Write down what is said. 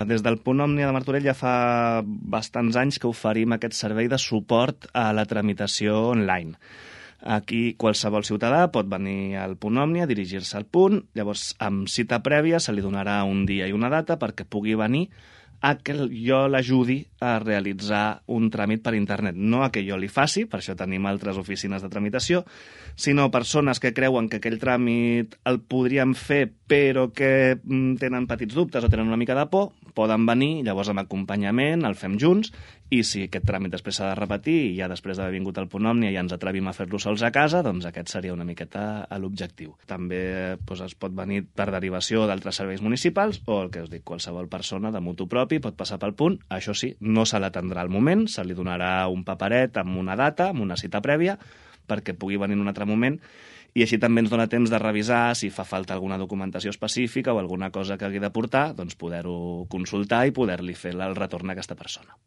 Des del Punt Òmnia de Martorell ja fa bastants anys que oferim aquest servei de suport a la tramitació online. Aquí qualsevol ciutadà pot venir al Punt Òmnia, dirigir-se al punt, llavors amb cita prèvia se li donarà un dia i una data perquè pugui venir a que jo l'ajudi a realitzar un tràmit per internet. No a que jo li faci, per això tenim altres oficines de tramitació, sinó persones que creuen que aquell tràmit el podríem fer però que tenen petits dubtes o tenen una mica de por, poden venir, llavors amb acompanyament, el fem junts, i si aquest tràmit després s'ha de repetir i ja després d'haver vingut al Punt Òmnia ja ens atrevim a fer-lo sols a casa, doncs aquest seria una miqueta l'objectiu. També es pot venir per derivació d'altres serveis municipals o el que us dic, qualsevol persona de mutu propi pot passar pel punt. Això sí, no se l'atendrà al moment, se li donarà un paperet amb una data, amb una cita prèvia, perquè pugui venir en un altre moment, i així també ens dona temps de revisar si fa falta alguna documentació específica o alguna cosa que hagi de portar, doncs poder-ho consultar i poder-li fer el retorn a aquesta persona.